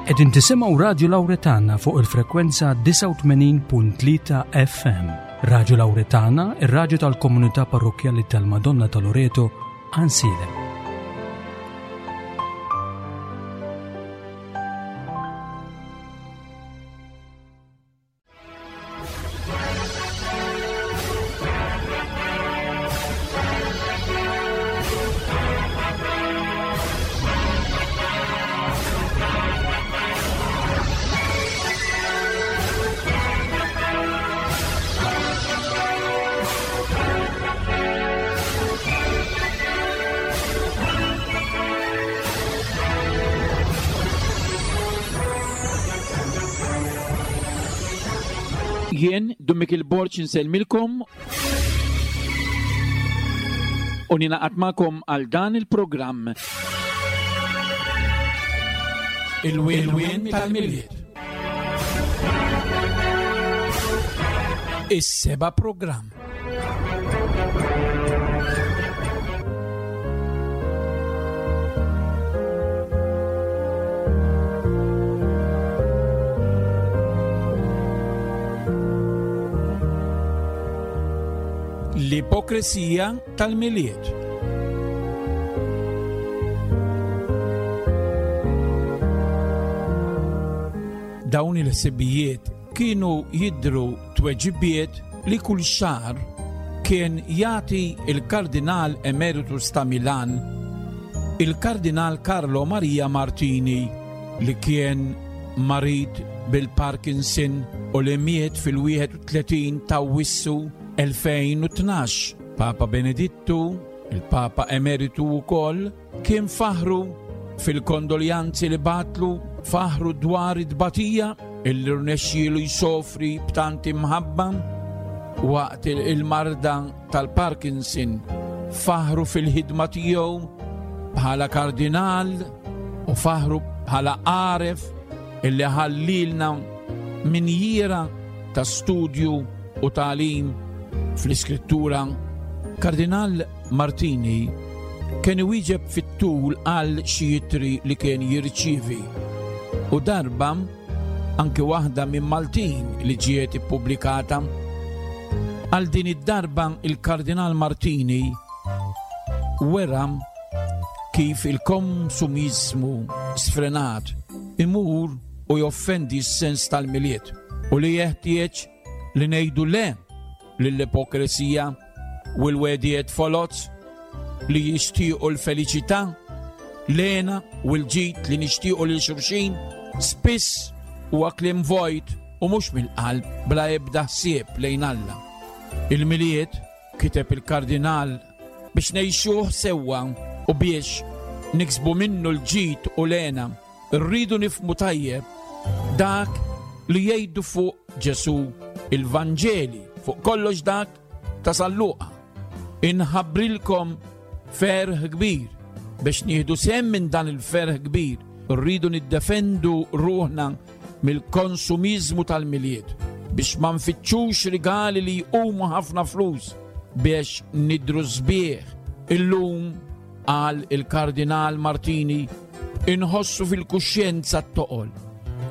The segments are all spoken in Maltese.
Qegħdin tisimgħu Radju Lawretana fuq il-frekwenza 89.3 FM. Radju Lawretana, ir-radju tal-komunità parrokkjali tal-Madonna ta' Loreto, Ansilem. Jien, Dun Mikil Borg insellmilkom u ninaqat magħkom għal dan il-programm. Il-wien tal-Milied. Is-seba' programm. L-ipokresija tal-Milied. Dawn il-ħsibijiet kienu jidhru tweġibiet li kull xahar kien jagħti il-Kardinal Emeritus ta' Milan, il-Kardinal Carlo Maria Martini, li kien marid bil-Parkinson u li miet fil-31 ta' Awwissu 2012. Papa Benedittu, il-Papa Emeritu wkoll, Kien faħru fil-kondoljanzi li bagħatlu, faħru dwar it-tbatija illi rnexxielu jsofri b'tant imħabba waqt il-marda tal-Parkinson, faħru fil-ħidma tiegħu bħala kardinal u faħru bħala għaref illi ħallilna minjiera ta' studju u tagħlim fl-Iskrittura. Kardinal Martini kien iwieġeb fit-tul għal xi ittri li kien jirċievi u darba anki waħda minn Maltin li ġiet ippubblikata. Għal din id-darba il-Kardinal Martini wera kif il-konsumiżmu sfrenat imur u joffendi s-sens tal-Milied u li jeħtieġ li ngħidu le lill-ipokresija u l-wegħdiet foloz li jixtiequ l-feliċità, l-hena u l-ġid li nixtiequ lil xulxin, spiss huwa kliem vojt u mhux mill-qalb bla ebda ħsieb lejn Alla. Il-Milied, kiteb il-Kardinal, biex ngħixuh sewwa u biex niksbu minnu l-ġid u l-hena, Rridu nifhmu tajjeb dak li jgħidu fuq Ġesù il-Vanġeli, fuq kollox dak ta' San Luqa. Inħabbrilkom ferħ kbir. Biex nieħdu sehem minn dan il-ferħ kbir, rridu niddefendu ruħna mill-konsumiżmu tal-Milied biex ma nfittxux rigali li jqumu ħafna flus biex nidhru sbieħ. Illum Qal il-Kardinal Martini, Inħossu fil-kuxjenza t-toqol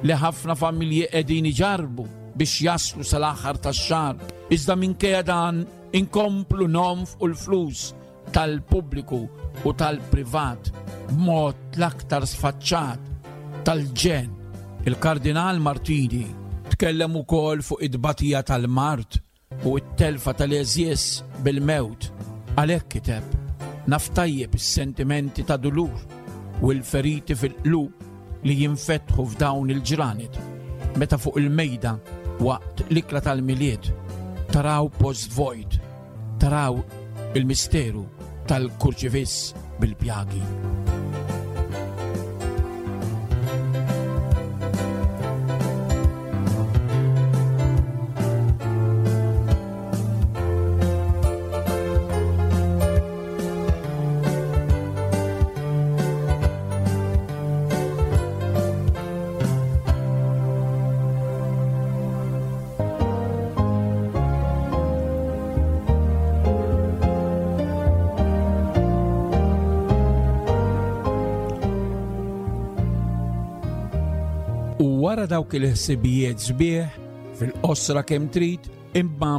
li ħafna familji qegħdin iġarrbu biex jaslu sal-aħħar tax-xahar, iżda minkejja dan inkomplu nonfqu l-flus tal-pubbliku u tal-privat b'mod l-aktar sfaċċat tal-ġenn. Il-Kardinal Martini tkellem ukoll fuq it-tbatija tal-mard u t-telfa tal-għeżież bil-mewt. Għalhekk kiteb, Naf tajjeb is-sentimenti ta' dulur u l-feriti fil-qlub li jinfetħu f'dawn il-ġranet, meta fuq il-mejda waqt l-ikla tal-Milied taraw post vojt, taraw il-misteru tal-kurċifiss bil-pjagi. Wara dawk il-ħsibijiet sbieħ fil-qosra kemm trid, imma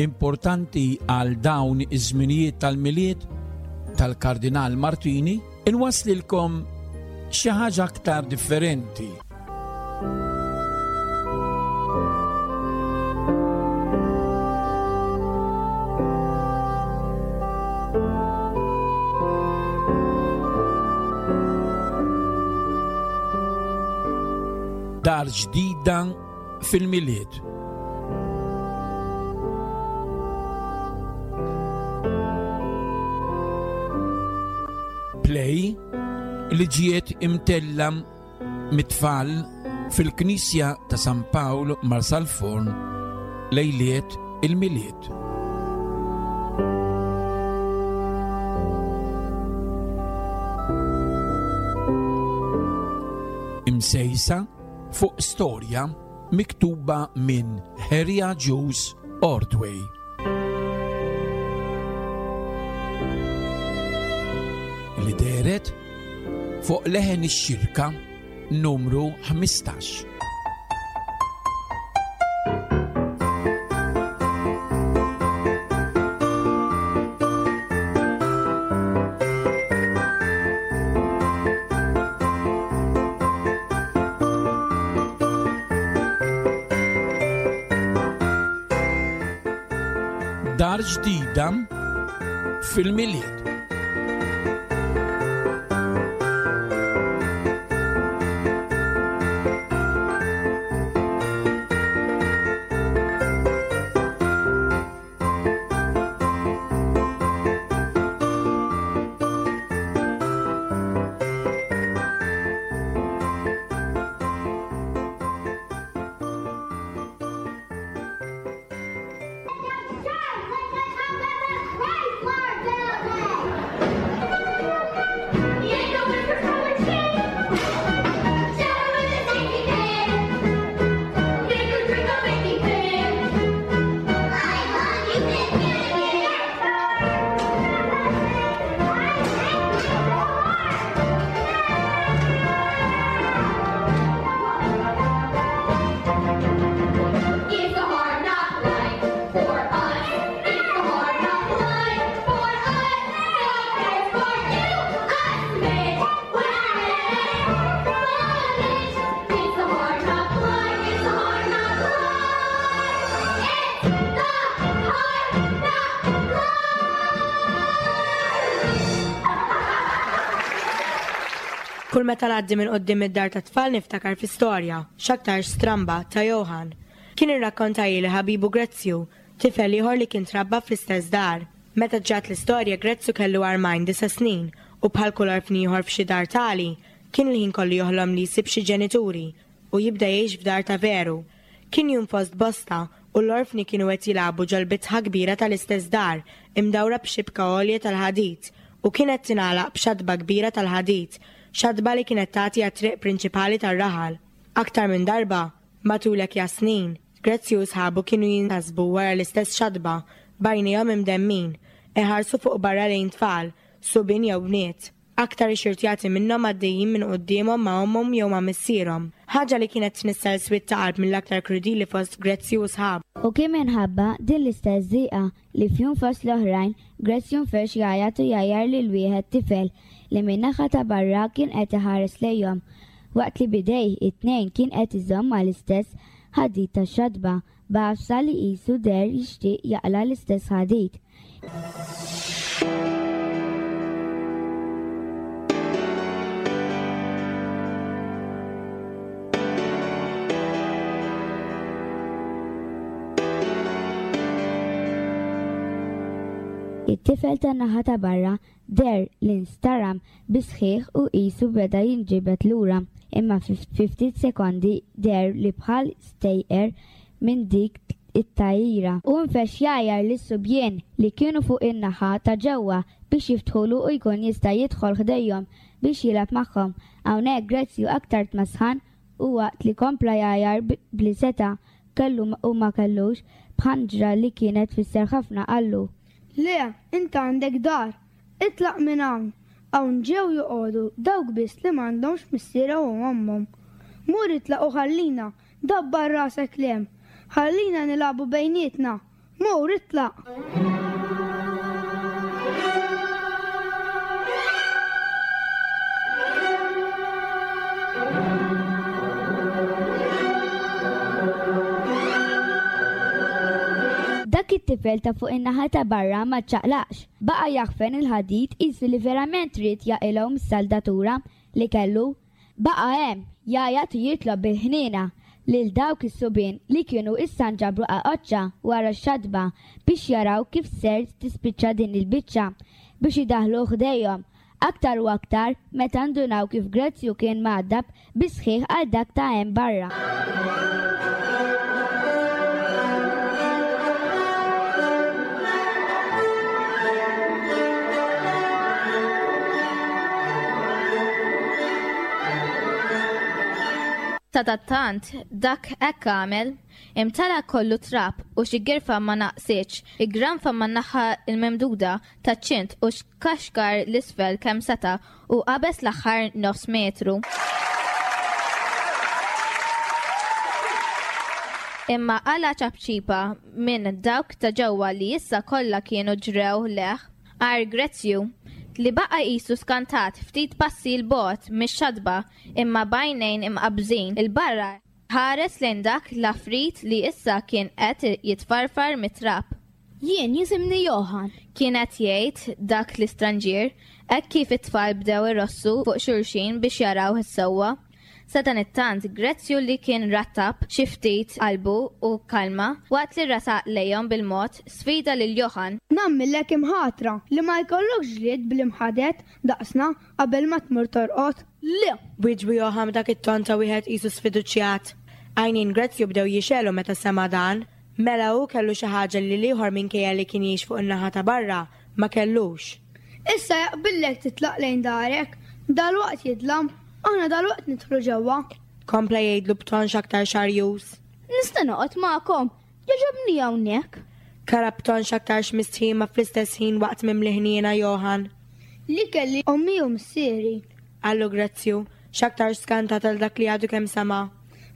importanti għal dawn iż-żminijiet tal-Milied tal-Kardinal Martini, inwaslilkom xi ħaġa aktar differenti. Dar ġdida fil-Milied. Play li ġiet imtella mit-tfal fil-Knisja ta' San Pawl Marsalforn lejliet il-Milied. Imsejsa fuq storja miktuba minn Harry Agius Ordway. Li dehret fuq Leħen ix-Xirka numru 15. Dar ġdida fil-Milied. Kull meta ngħaddi minn quddiem id-dar tat-tfal niftakar fi storja, x'aktarx stramba, ta' Johann. Kien irrakkontajli ħabibu Grezzju, tifel ieħor li kien trabba fl-istess dar. Meta ġrat l-istorja Grezzju kellu armajn disa' snin u bħal kull orfni ieħor f'xi dar tali, kien il-ħin kollu joħlom li jsib xi ġenituri u jibda jgħix f'dar ta' veru. Kien jum fost bosta u l-orfni kienu qed jilagħbu ġol-bitħa kbira tal-istess dar, imdawra b'xibka għolja tal-ħadid, u kienet tingħalaq b'xatba kbira tal-ħadid, xatba li kienet tagħti għat-triq prinċipali tar-raħal. Aktar minn darba, matul hekk snin, Grezzju u sħabu kienu jintasbu wara l-istess xatba, b'għajnejhom imdemmin, iħarsu fuq barra lejn tfal, subien jew bniet. Aktar ixxurtjati minnhom għaddejjin minn quddiemhom ma' ommhom jew ma' missierhom. Ħaġa li kienet tnissel swied ta' qalb mill-aktar krudili fost Grezzju u sħabu. U kien minħabba din l-istess diqa li f'jum fost l-oħrajn Grezzju nfex jgħajjat u jgħajjar lil wieħed tifel li min-naħa ta' barra kien qed iħares lejhom waqt li b'idejh it-tnejn kien qed iżomm mal-istess ħadid tax-xatba b'għafsa li qisu deher jixtieq jaqla' l-istess ħadid. It-tifel tan-naħa ta' barra Deher li nstaram bis-sħiħ u qisu beda jinġibed lura, imma fi ftit sekondi deher li bħal stejqer minn dik it-tgħajjira. Hu nfexx jgħajjar lis-subjien li kienu fuq in-naħa ta' ġewwa biex jiftħulu u jkun jista' jidħol ħdejhom biex jilgħab magħhom. Hawnhekk Grezzju aktar tmasħan u waqt li kompla jgħajjar b'li seta' kellu u ma kellux, b'ħanġra li kienet tfisser ħafna qallu. Le, int għandek dar. Itlaq minn hawn. Hawn ġew joqogħdu dawk biss li m'għandhomx missierhom u ommhom. Mur itlaq u ħallina, dabbar rasek 'l hemm. Ħallina nilagħbu bejnietna. Mur itlaq! Dak it-tifel ta' fuq in-naħa ta' barra ma ċċaqlaqx. Baqa' jaħfen il-ħadid qisu li verament ried jaqilgħu mis-saldatura li kellu. Baqa' hemm, jgħajjat u jitlob bil-ħniena lil dawk is-subien li kienu issa nġabru qaqoċċa wara x-xatba biex jaraw kif ser tispiċċa din il-biċċa biex idaħħluh ħdejhom, aktar u aktar meta ndunaw kif Grezzju kien mgħaddab bis-sħiħ għal dak ta' hemm barra. Sadattant, dak hekk għamel, imtela kollu trab u xi girfa ma naqsitx, iggranfa man-naħa l-mimduda taċ-ċint u xkaxkar 'l isfel kemm seta' u qabeż l-aħħar nofs metru. Imma qala' ċapċipa minn dawk ta' ġewwa li issa kollha kienu ġrew lejh, għajr Grezzju, li baqa' qisu skantat ftit passi 'l bogħod mix-xatba imma b'għajnejn imqabbżin 'il barra ħares lejn dak l-għafrit li issa kien qed jitfarfar mit-trab. Jien jisimni Johann. Kien qed jgħid dak l-istranġier, hekk kif it-tfal bdew irossu fuq xulxin biex jarawh sewwa. Sadanittant, Grezzju li kien rattab xi ftit qalbu u kkalma, waqt li resaq lejhom bil-mod, sfida lil Johann. Nagħmillek imħatra li ma jkollokx ġlied bl-imħaded daqsna qabel ma tmur torqod. Le! Wieġbu Johann b'dak it-ton ta' wieħed qisu sfiduċjat. Għajnejn Grezzju bdew jixegħlu meta sema' dan. Mela hu kellu xi ħaġa li l-ieħor minkejja li kien jgħix fuq in-naħa ta' barra, ma kellux. Issa jaqbillek titlaq lejn darek, dalwaqt jidlam, aħna dalwaqt nidħlu ġewwa. Kompla jgħidlu b'ton x'aktar xarjuż. Nista' noqgħod magħkom? Jogħġobni hawnhekk. Kara b'ton x'aktarx mistħi imma fl-istess ħin waqt mimli ħniena Johann. Li kelli ommi u missieri. Qallu Grezzju, x'aktarx skantat għal dak li għadu kemm sema'.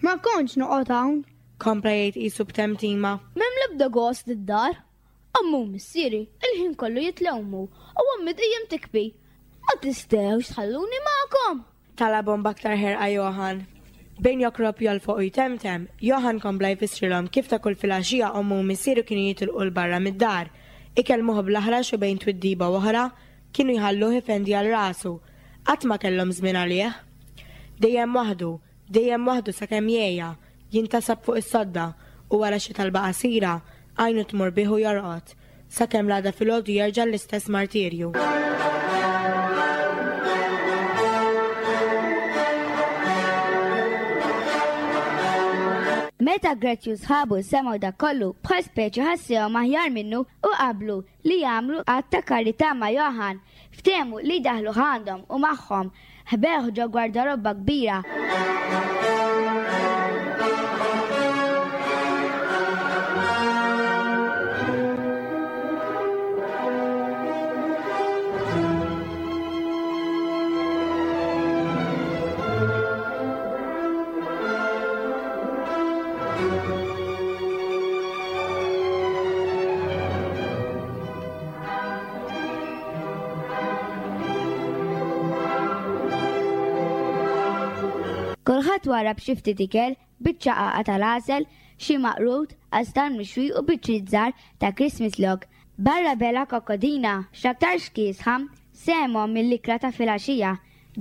Ma kontx noqgħod hawn. Kompla jgħid qisu b'temtima. M'hemm l-ebda gost id-dar. Ommi u missieri il-ħin kollu jitlewmu u ommi dejjem tikbi. Ma tistgħux tħalluni magħkom! Talabhom b'aktar ħerqa Johann. Bejn jokrob jolfoq u jtemtem, Johann kompla jfissrilhom kif ta' kull filgħaxija ommu u missieru kienu jitilqu 'l barra mid-dar, ikellmuh bl-aħrax u bejn twiddiba u oħra, kienu jħalluh ifendi għal rasu. Qatt ma kellhom żmien għalih. Dejjem waħdu, dejjem waħdu sakemm jgħejja, Jintasab fuq is-sodda u wara xi talba qasira, għajnu tmur bih u jorqod, sakemm l-għada filgħodu jerġa' l-istess martirju. Meta Gretzi u sħabu semgħu dak kollu, bħal speċi ħassewhom aħjar minnu u qablu li jagħmlu att ta' karità ma' Johann. Ftehmu li jdaħħluh għandhom u magħhom ħbewh ġo gwardarobba kbira. Kulħadd warrab xi ftit ikel, biċċa qagħqa tal-għasel, xi maqrut, qastan mixwi u biċċiet żgħar ta' Christmas log. Barra bela kokkodina, x'aktarx kiesħa, sehemhom mill-ikla ta' filgħaxija.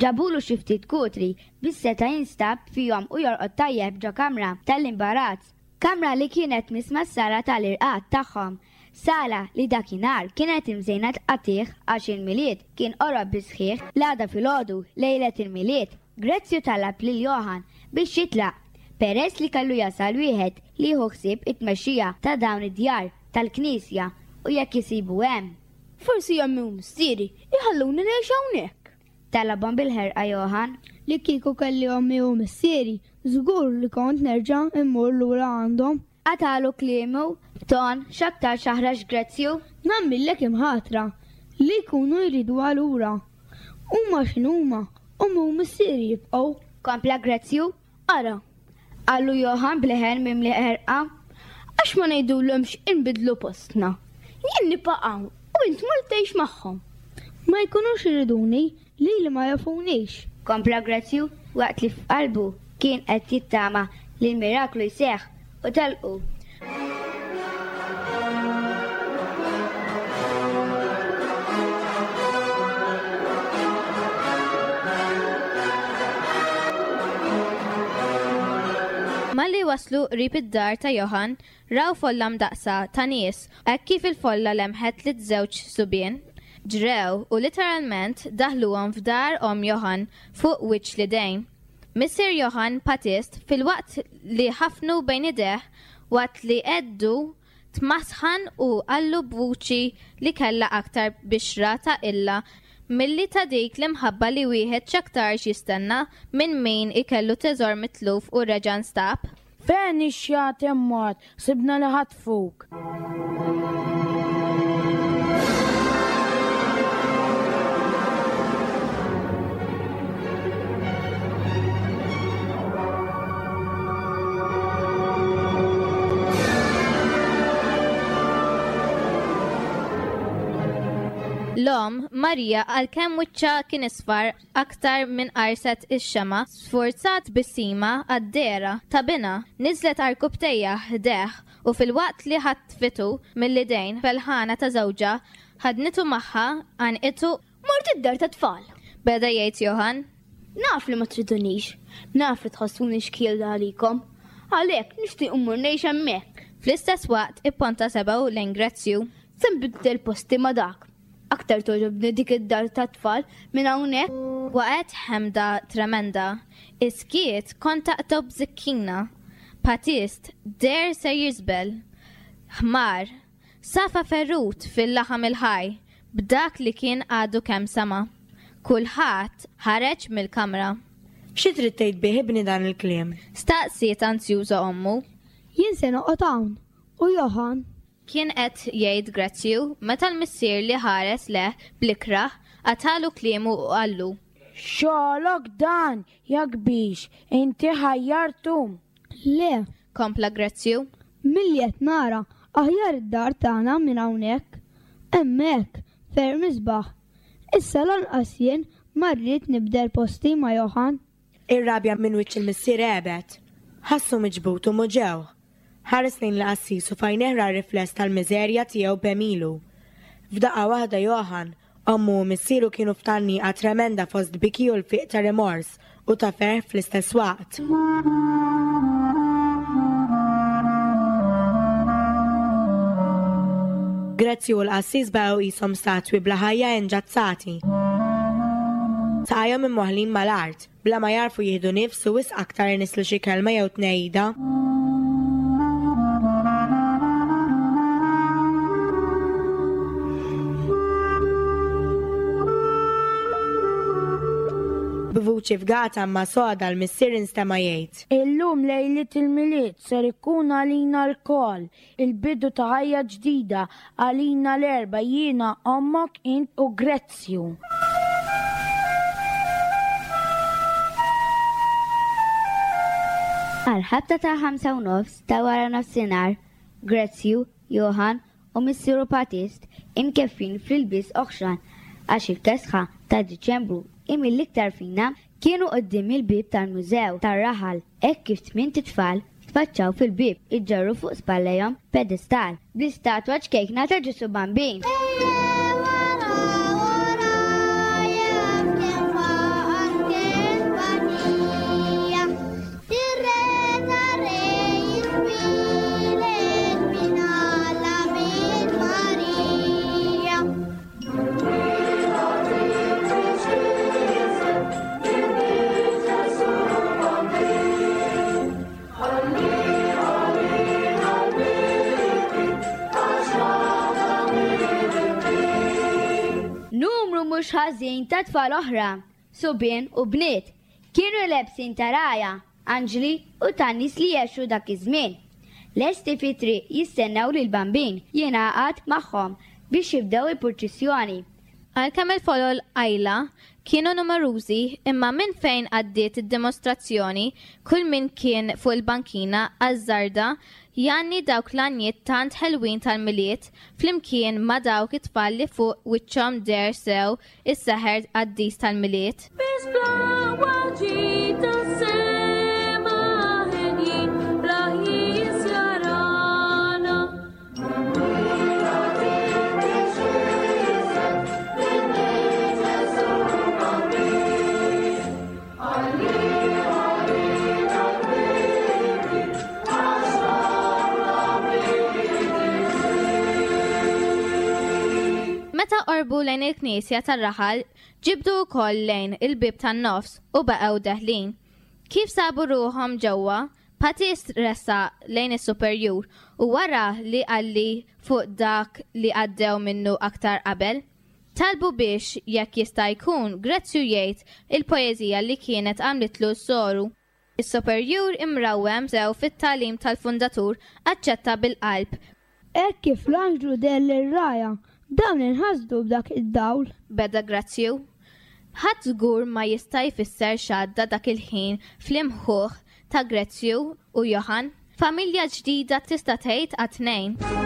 Ġabulu xi ftit kutri biex seta' jinstab fihom u jorqod tajjeb ġo kamra tal-imbarazz. Kamra li kienet tmiss mas-sala tal-irqad tagħhom. Sala li dakinhar kienet imżejna tqattigħ għax il-Milied kien qorob bis-sħiħ l-għada filgħodu, lejlet il-Milied, Grezzju talab lil Johann biex jitlaq, peress li kellu jasal wieħed li jieħu ħsieb it-tmexxija ta' dawn id-djar tal-knisja u jekk isibu hemm. Forsi ommi u missieri jħalluni ngħix hawnhekk. Talabhom bil-ħerqa Johann. Li kieku kelli ommi u missieri, żgur li kont nerġa' mmur lura għandhom. Qatagħlu kliemu b'ton x'aktarx aħrax Grezzju. Nagħmillek imħatra li jkunu jriduha lura. Huma x'inhuma, ommi u missieri jibqgħu. Kompla Grezzju. Ara! Qallu Johann b'leħen mimli ħerqa. Għax ma ngħidulhomx inbiddlu postna? Jien nibqa' hawn u int tmur tgħix magħhom. Ma jkunux iriduni, lili ma jafunix. Kompla Grazzju waqt li f'qalbu kien qed jittama li l-miraklu jseħħ u telqu. Malli waslu qrib id-dar ta' Johann, raw folla mdaqqsa ta' nies hekk kif il-folla lemħet liż-żewġ subien. Ġrew u literalment daħluhom f'dar omm Johann fuq wiċċ l-idejn. Missier Johann Patist filwaqt li ħafnu bejn idejh waqt li għeddu tmasħan u qallu b'vuċi li kellha aktar bixra ta' qilla milli ta' dik l-imħabba li wieħed x'aktarx jistenna minn min ikellu teżor mitluf u reġa' nstab. Fejn ix-xjaten mort, sibna li ħatfuk. L-omm, Marija, għalkemm wiċċha kien isfar aktar minn qarset ix-xemgħa, sfurzat tbissima għad-dehra ta' binha, niżlet għarkupptejha ħdejh u filwaqt li ħatfitu mill-idejn felħana ta' żewġha, ħadnitu magħha, għannqitu Mort id-dar tat-tfal. Beda jgħid Johann. Naf li ma tridunix, naf li tħossuni xkiel għalikom. Għalhekk nixtieq immur ngħix hemmhekk. Fl-istess waqt ipponta sebgħu lejn Grezzju. Se nbiddel posti ma' dak. Aktar togħġobni dik id-dar tat-tfal minn hawnhekk. Waqgħet ħemda tremenda. Is-skiet kont taqtgħu b'żikkina. Patist deher ser jiżbel. Ħmar. Safa ferut fil-laħam il-ħaj b'dak li kien għadu kemm sama'. Kulħadd ħareġ mill-kamra. Xi trid tgħid bih ibni dan il-kliem? Staqsiet anzjuża ommu. Jien se noqgħod hawn. U Johann? Kien qed jgħid Grazzju meta l-missier li ħares lejh bl-ikrah qatagħlu kliemu u qallu. Xogħlok dan, ja kbix, inti ħajjartu! Le! Kompla Grazzju. Milli qed nara, aħjar id-dar tagħna minn hawnhekk. Hemmhekk, ferm isbaħ. Issa lanqas jien ma rrid nibdel posti ma' Johann. Ir-rabja minn wiċċ il-missier għebet. Ħassu miġbud u muġegħ. Ħares lejn il-qassis u f'għajnejh ra r-rifless tal-miżerja tiegħu b'għemilu. F'daqqa waħda Johann, ommu u missieru kienu f'tgħanniqa tremenda fost biki u lfiq ta' rimors u ta' ferħ fl-istess waqt. Grezzju u l-qassis baqgħu qishom statwi bla ħajja inġazzati. Saqajhom imwaħħlin mal-art. Bla ma jagħrfu jieħdu nifs u wisq aktar inisslu xi kelma jew tnehida. B'vuċi fgata imma soda l-missier instema' jgħid. Illum lejliet il-Milied ser ikun għalina lkoll Il-bidu ta' ħajja ġdida għalina l-erbgħa, jiena, ommok, int u Grezzju. Għall-ħabta tal-ħamsa u nofs ta' wara nofsinhar, Grezzju, Johann u missieru Patist imkeffin fl-ilbies oħxon għax il-kesħa ta' Diċembru hi mill-iktar fina, kienu quddiem il-bieb tal-mużew tar-raħal hekk kif tmint itfal tfaċċaw fil-bieb iġorru fuq spallejhom pedestal bl-istatwa ċkejkna ta' Ġesù Bambin. Numru mhux ħażin ta' tfal oħra, subien u bniet, kienu lebsin ta' rgħajja, anġli u tan-nies li għexu dak iż-żmien. Lesti fit-triq jistennew lill-Bambin jingħaqad magħhom biex jibdew il-purċissjoni. Għalkemm il-folol qajla, Kienu numerużi imma minn fejn għaddiet id-dimostrazzjoni kull min kien fuq il-bankina ażżarda jgħanni dawk l-għanjiet tant ħelwin tal-Milied flimkien ma' dawk it-tfal li fuq wiċċhom deher sew is-seħer qaddis tal-Milied. Biss bl-aqwa ġid tas-sema henjin bla ħjies jarana. Meta qorbu lejn il-knisja tar-raħal, ġibdu wkoll lejn il-bieb tan-nofs u baqgħu deħlin. Kif sabu ruħhom ġewwa, Patist ressaq lejn is-superjur u wara li qalli fuq dak li għaddew minnu aktar qabel, talbu biex jekk jista' jkun Grezzju jgħid il-poeżija li kienet għamlitlu s-soru. Is-superjur imrawwem sew fit-tagħlim tal-fundatur aċċetta bil-qalb. Hekk kif l-anġlu deher lir-rgħajja, dawn inħasdu b'dak id-dawl. Beda Grazzju. Ħadd żgur ma jista' jfisser x'għadda dak il-ħin fl-imħuħ ta' Grezzju u Johann. Familja ġdida tista' tgħid għat-tnejn.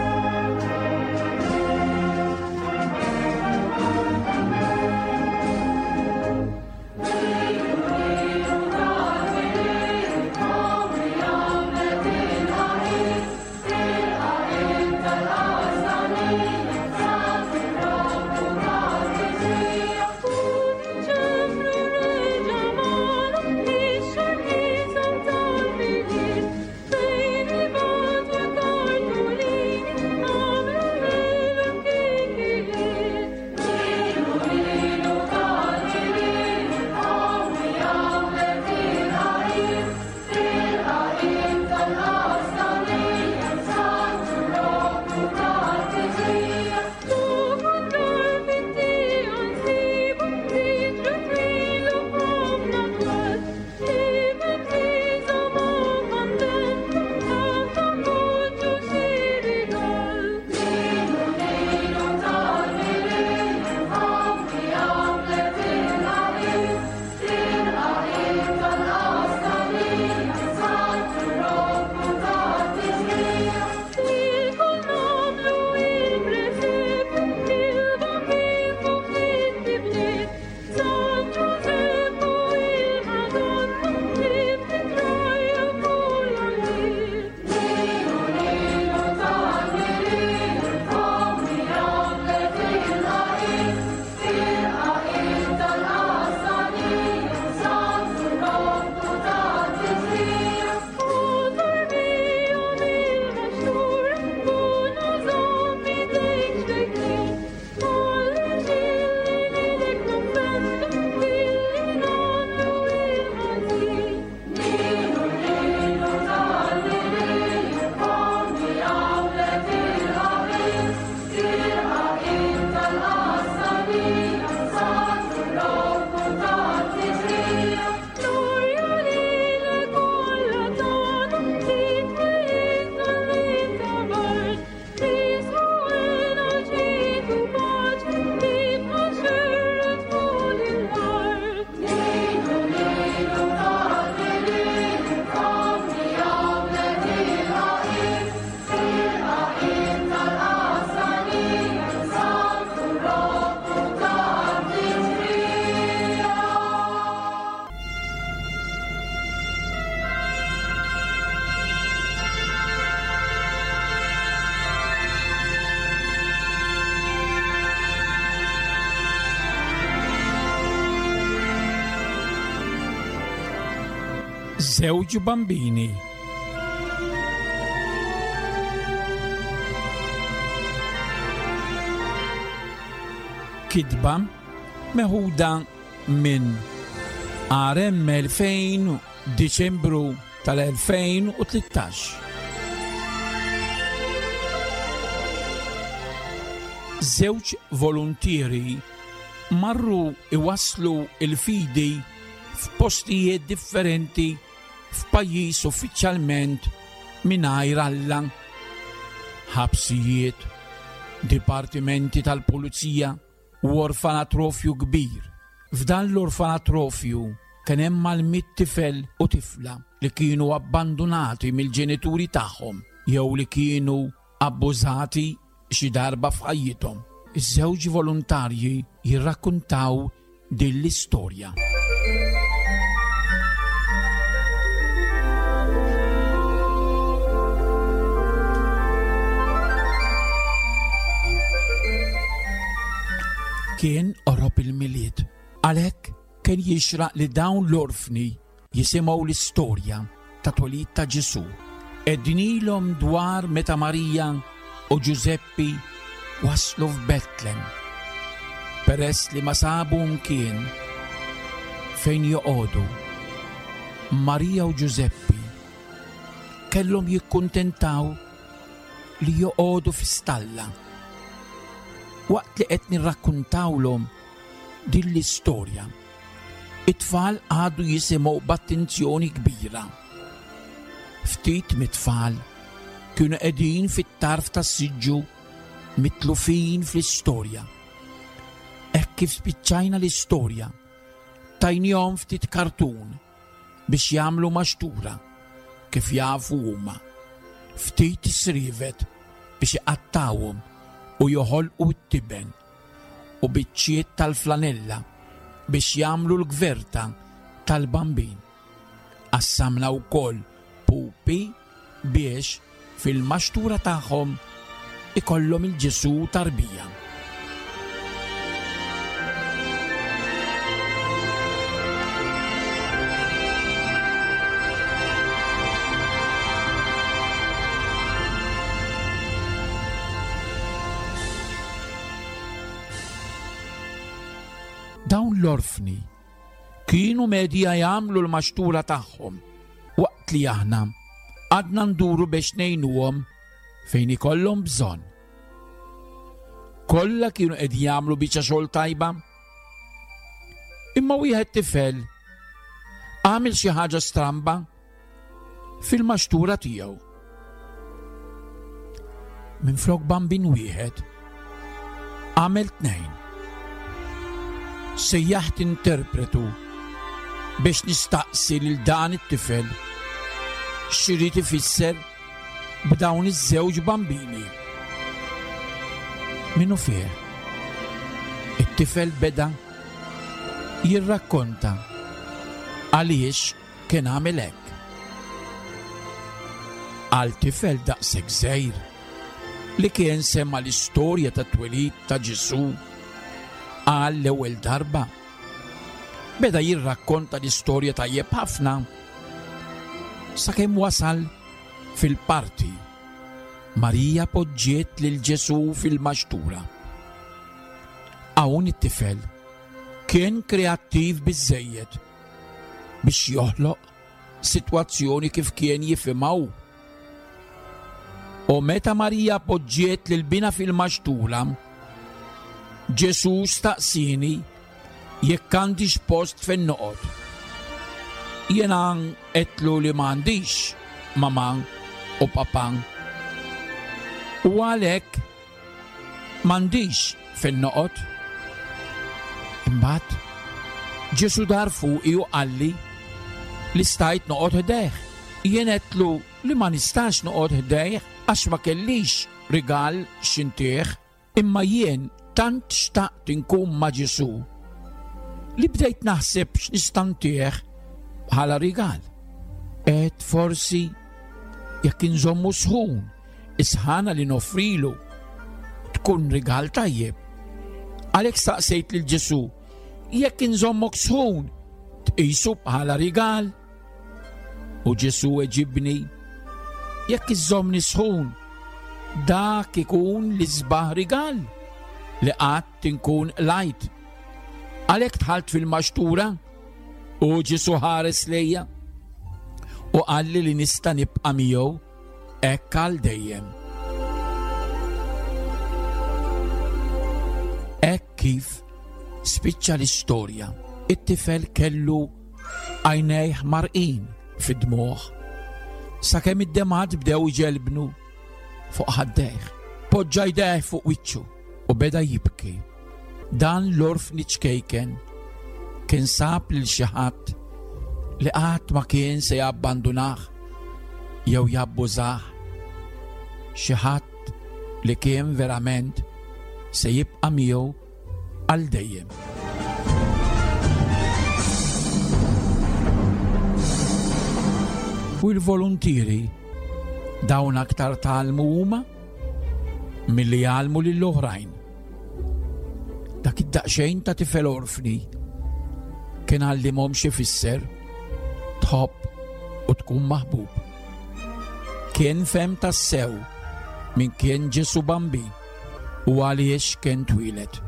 Żewġ bambini. Kitba meħuda minn RM 2000 Diċembru tal-2013. Żewġ voluntieri marru iwasslu il-fidi f'postijiet differenti f'pajjiż uffiċjalment mingħajr Alla. F'dan l-orfanatrofju kien hemm mal-mitt tifel u tifla li kienu abbandunati mill-ġenituri tagħhom jew li kienu abbużati xi darba f'ħajjithom. Iż-żewġ volontarji jirrakkuntaw din l-istorja. Kien qorob il-Milied, għalhekk kien jixraq li dawn l-orfni jisimgħu l-istorja ta' twelid ta' Ġesù. Għednilhom dwar meta Marija u Ġużeppi waslu f'Betlem. Peress li ma sabu mkien fejn joqogħdu, Marija u Ġużeppi kellhom jikkuntentaw li joqogħdu fi stalla. Waqt li qed nirrakkuntawlhom din l-istorja, It-tfal qagħdu jisimgħu b'attenzjoni kbira. Ftit mit-tfal kienu qegħdin fit-tarf tas-siġġu mitlufin fl-istorja. Hekk kif spiċċajna l-istorja, tajnihom ftit kartun biex jagħmlu maxtura kif jafu huma. Ftit srievet biex iqattgħuhom u joħolqu t-tiben u biċċiet tal-flanella biex jagħmlu l-gverta tal-Bambin. Qassamna wkoll pupi biex fil-maxtura tagħhom ikollhom il-Ġesù tarbija. Dawn l-orfni kienu medja jagħmlu l-maxtura tagħhom waqt li aħna għadna nduru biex ngħinuhom fejn ikollhom bżonn. Kollha kienu qed jagħmlu biċċa xogħol tajba. Imma wieħed tifel għamel xi ħaġa stramba fil-maxtura tiegħu. Minflok bambin wieħed, għamel tnejn. Sejjaħt interpretu biex nistaqsi lil dan it-tifel x'irid ifisser b'dawn iż-żewġ bambini. Minnu fih, it-tifel beda jirrakkonta għaliex Kien għamel hekk. Għal tifel daqshekk żgħir li kien sema' l-istorja tat-twelid ta' Ġesù għal l-ewwel darba, beda jirrakkonta l-istorja tajjeb ħafna sakemm wasal fil-parti Marija poġġiet lil Ġesù fil-maxtura. Hawn it-tifel kien kreattiv biżżejjed biex joħloq sitwazzjoni kif kien jifhimha hu. U meta Marija poġġiet lil binha fil-maxtura, Ġesù staqsieni jekk għandix post fejn noqgħod. Jiena għedtlu li m'għandix mamà u papà. U għalhekk M'għandix fejn noqgħod. Imbagħad Ġesù dar fuqi u qalli li stajt noqgħod ħdejh. Jien għedtlu li ma nistax noqgħod ħdejh għax ma kellix rigal x'intih. Imma jien tant xtaqt inkun ma' Ġesù li bdejt naħseb x'nista' ntih bħala rigal. Għedt forsi jekk inżommu sħun Is-sħana li noffrilu tkun rigal tajjeb. Għalhekk staqsejt lil Ġesù, jekk inżommok sħun, tqisu bħala rigal? U Ġesù eġibni, jekk iżżommni sħun, dak ikun l-isbaħ rigal li qatt inkun qlajt. Għalhekk dħalt fil-maxtura u Ġesù ħares lejja u qalli li nista' nibqa' miegħu hekk għal dejjem. Hekk kif spiċċa l-istorja, it-tifel kellu għajnejh marqin fid-dmugħ sakemm id-demgħat bdew iġelbnu fuq ħaddejh. Poġġa jdejh fuq wiċċu u beda jibki. Dan l-orfni ċkejken. Kien sab lil xi ħadd li qatt ma kien se jabbandunah jew jabbużah. Xi ħadd li kien verament se jibqa' miegħu għal dejjem. U l-voluntieri dawn aktar tgħallmu huma milli jgħallmu lill-oħrajn. Dak id-daqsxejn ta' tifel orfni kien għallimhom xi fisser tħobb u tkun maħbub. Kien fem tassew min kien Ġesu Bambi u għaliex kien twieled.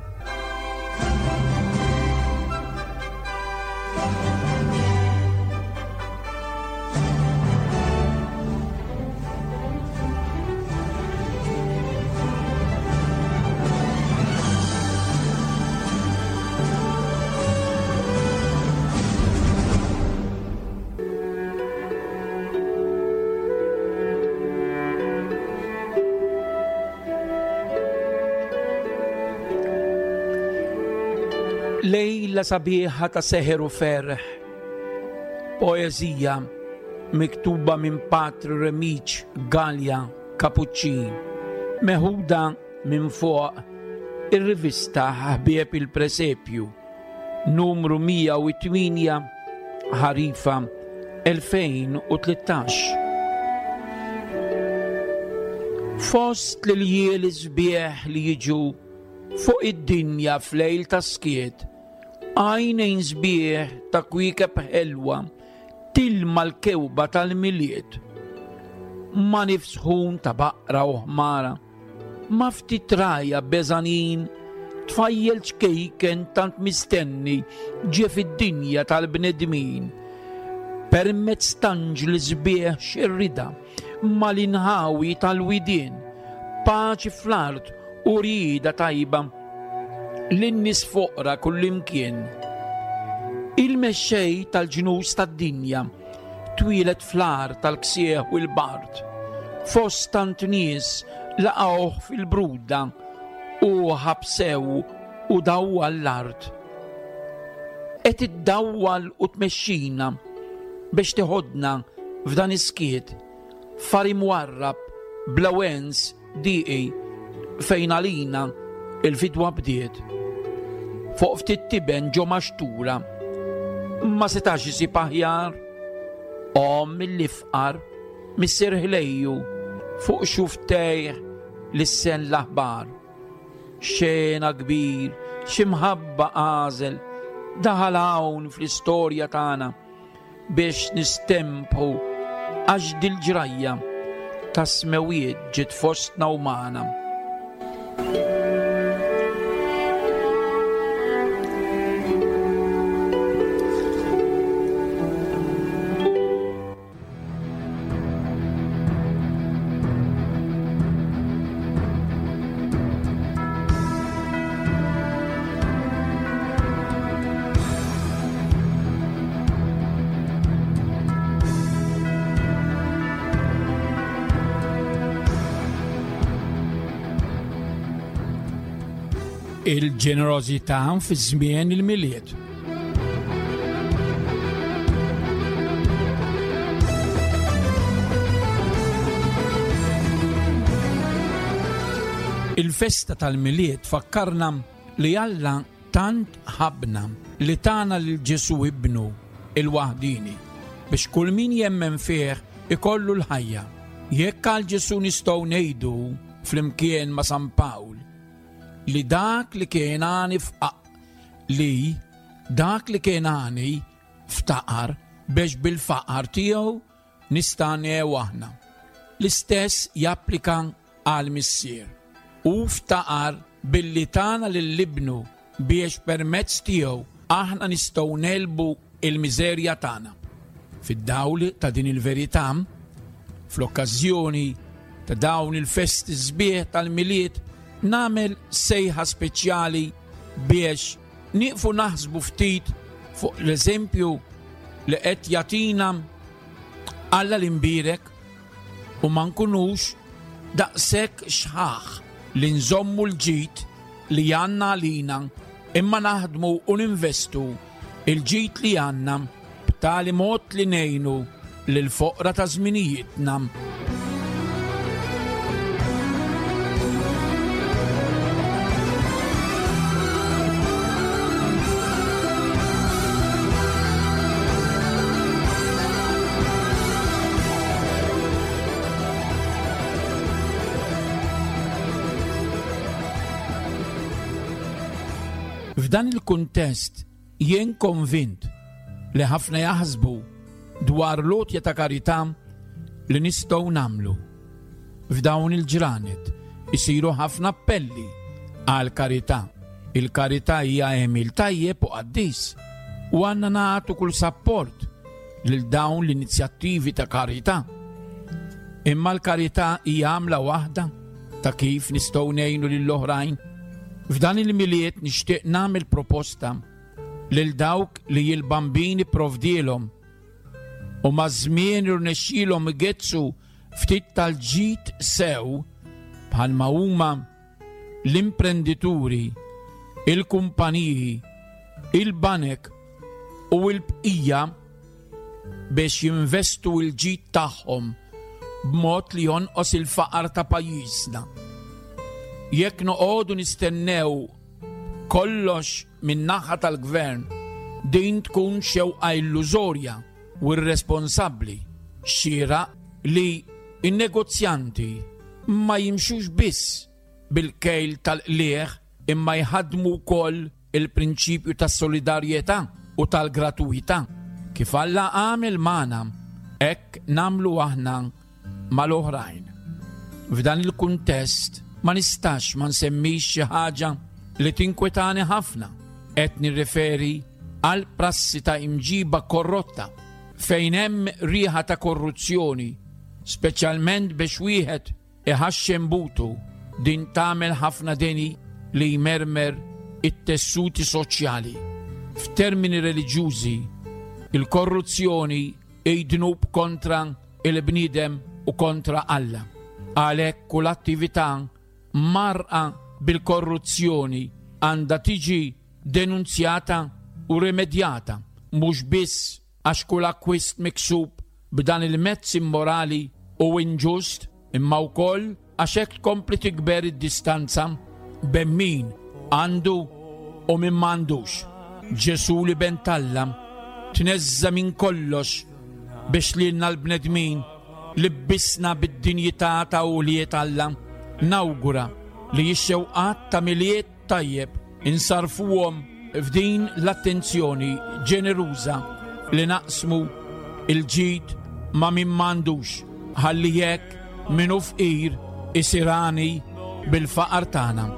Lejla sabiħa ta' seħer u ferħ. Poeżija miktuba minn Patri Remiċ Gallia Kapuċċin, meħuda minn fuq ir-rivista Ħbieb il-Presepju. Numru 108, Ħarifa 2013. Fost l-iljieli sbieħ li jiġu fuq id-dinja f'lejl ta' skiet, għajnejn sbieħ ta' kwiekeb ħelwa tilma l-kewba tal-Milied. Ma' nifs sħun ta' baqra u ħmara, Ma' ftit rgħajja beżgħanin, tfajjel ċkejken tant mistenni ġie fid-dinja tal-bnedmin. Permezz t'anġli sbieħ xerrida mal-inħawi tal-widien, paċi fl-art u rieda tajba lin-nies foqra kullimkien. Il-mexxej tal-ġnus tad-dinja twieled fl-għar tal-ksieħ u l-bard. Fost tant nies laqgħuh fil-bruda u ħabsew u dawwal l-art. Qed iddawwal u tmexxina biex teħodna f'dan is-skiet far imwarrab bla wens Dieqi fejn għalina il-fidwa bdiet. Fuq ftit tiben ġo maxtura. Ma setax isib aħjar. Omm mill-ifqar, missier ħlejju, fuq xuftejh lissen l-aħbar. Xena kbir, xi mħabba għażel, daħal hawn fl-istorja tagħna. Biex nistempħu għax dil-ġrajja tas-smewwiet ġiet fostna u magħna. Il-ġenerożità fi żmien il-Milied. Il-festa tal-Milied tfakkarna li Alla tant ħabbna li tana lil Ġesù Ibnu il-waħdieni biex kull min jemmen fih ikollu l-ħajja. Jekk għal Ġesù nistgħu ngħidu flimkien ma' San Pawl li dak li kien għani f'aq li dak li kien għani ftaqar biex bil-faqar tiegħu nistagħnew aħna. L-istess japplika għall-Missier. Hu ftaqar billi tana lil Ibnu biex permezz tiegħu aħna nistgħu negħlbu l-miżerja tagħna. Fid-dawl ta' din il-verità, fl-okkażjoni ta' dawn il-festi sbieħ tal-Milied, nagħmel sejħa speċjali biex nieqfu naħsbu ftit fuq l-eżempju li qed jagħtina Alla l-Imbierek u ma nkunux daqshekk xħaħ li nżommu l-ġid li għandna għalina imma naħdmu u ninvestu. il-ġid li għandna b'tali mod li ngħinu lill-foqra ta' żminijietna. F'dan il-kuntest jien konvint li ħafna jaħsbu dwar l-għotja ta' karità li nistgħu nagħmlu. F'dawn il-ġranet isiru ħafna appelli għal karità. Il-karità hija għemil tajjeb u qaddis u għandna nagħtu kull sapport lil dawn l-inizjattivi ta' karità. Imma l-karità hija għamla waħda ta' kif nistgħu ngħinu lill-oħrajn. F'dan il-Milied nixtieq nagħmel proposta lil dawk li l-Bambin ipprovdielhom u maż-żmien irnexxielhom igezzu ftit tal-ġid sew bħalma huma l-imprendituri, il-kumpaniji, il-banek u l-bqija biex jinvestu l-ġid tagħhom b'mod li jonqos il-faqar ta' pajjiżna. Jekk noqogħdu nistennew kollox min-naħa tal-gvern, din tkun xewqa illużorja u irresponsabbli. Xieraq li n-negozjanti ma jimxux biss bil-kejl tal-qligħ imma jħaddmu wkoll il-prinċipju tas-solidarjetà u tal-gratuwità. Kif Alla għamel magħna, hekk nagħmlu aħna mal-oħrajn. F'dan il-kuntest ma nistax ma nsemmix xi ħaġa li tinkwetani ħafna. Qed nirreferi għal prassi ta' imġiba korrotta fejn hemm riħa ta' korruzzjoni, speċjalment biex wieħed iħaxxen butu din tagħmel ħafna deni li jmermer it-tessuti soċjali. F'termini reliġjużi, il-korruzzjoni hi dnub kontra il-bniedem u kontra Alla. Għalhekk kull attività mgħarrqa bil-korruzzjoni għandha tiġi denunzjata u rimedjata, mhux biss għax kull akkwist miksub b'dan il-mezz immorali u inġust, imma wkoll għax hekk tkompli tikber id-distanza bejn min għandu u min m'għandux. Ġesù l-Iben t'Alla tneżża' minn kollox biex lilna l-bnedmin libbisna bid-dinjità ta' ulied Alla. Nawgura li x-xewqat ta' Milied Tajjeb insarrfuhom f'din l-attenzjoni ġeneruża li naqsmu l-ġid ma' min m'għandux ħalli hekk min hu fqir isir għani bil-faqar tagħna.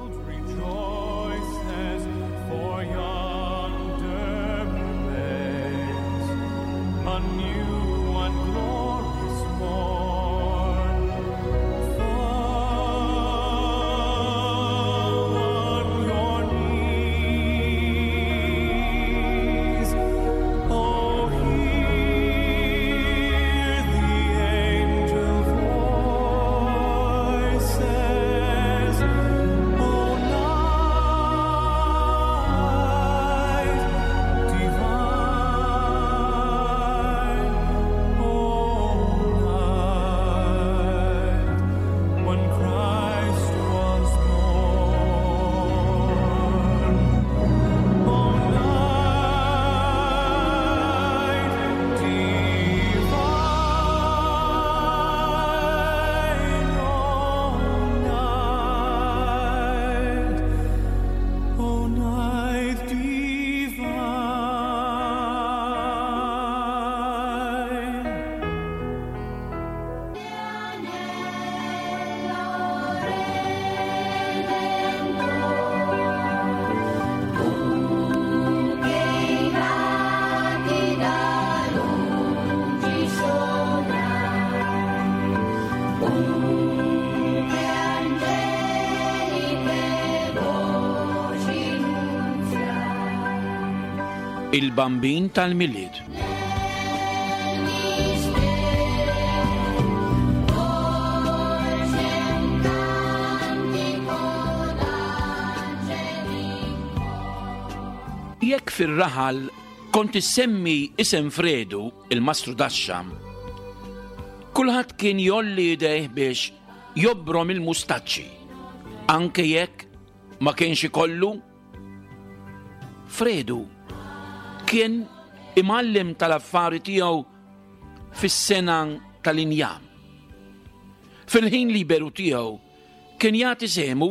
Il-Bambin tal-Milied. Jekk fir-raħal Kont issemmi isem Fredu, il-mastru daxxa, kulħadd kien jolli idejh biex jobrom il-mustaċċi, anke jekk ma kienx ikollu. Fredu kien imgħallem tal-affari tiegħu fis-sena tal-injam. Fil-ħin liberu tiegħu kien jagħti sehmu